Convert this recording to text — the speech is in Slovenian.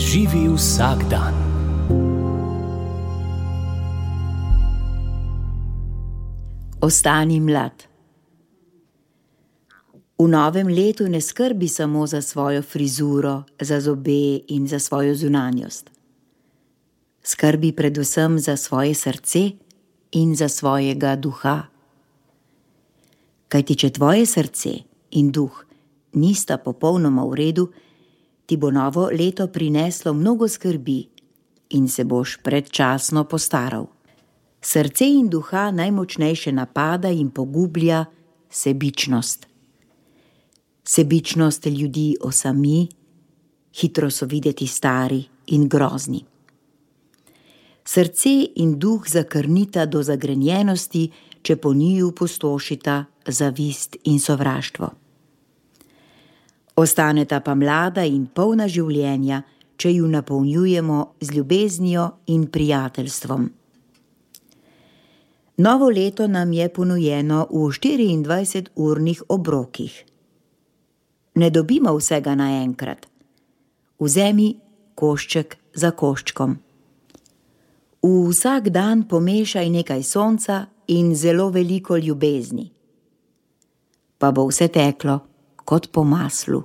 Živi vsak dan. Ostani mlad. V novem letu ne skrbi samo za svojo frizuro, za zobe in za svojo zunanjost. Skrbi predvsem za svoje srce in za svojega duha. Kajti če tvoje srce in duh nista popolnoma v redu, ti bo novo leto prineslo mnogo skrbi in se boš predčasno postaral. Srce in duha najmočnejše napada in pogublja sebičnost. Sebičnost ljudi osami, hitro so videti stari in grozni. Srce in duh zakrnita do zagrenjenosti, če po njiju pustošita zavist in sovraštvo. Ostaneta pa mlada in polna življenja, če ju napolnjujemo z ljubeznijo in prijateljstvom. Novo leto nam je ponujeno v 24-urnih obrokih. Ne dobimo vsega naenkrat. Vzemi košček za koščkom. V vsak dan pomešaj nekaj sonca in zelo veliko ljubezni. Pa bo vse teklo kot po maslu.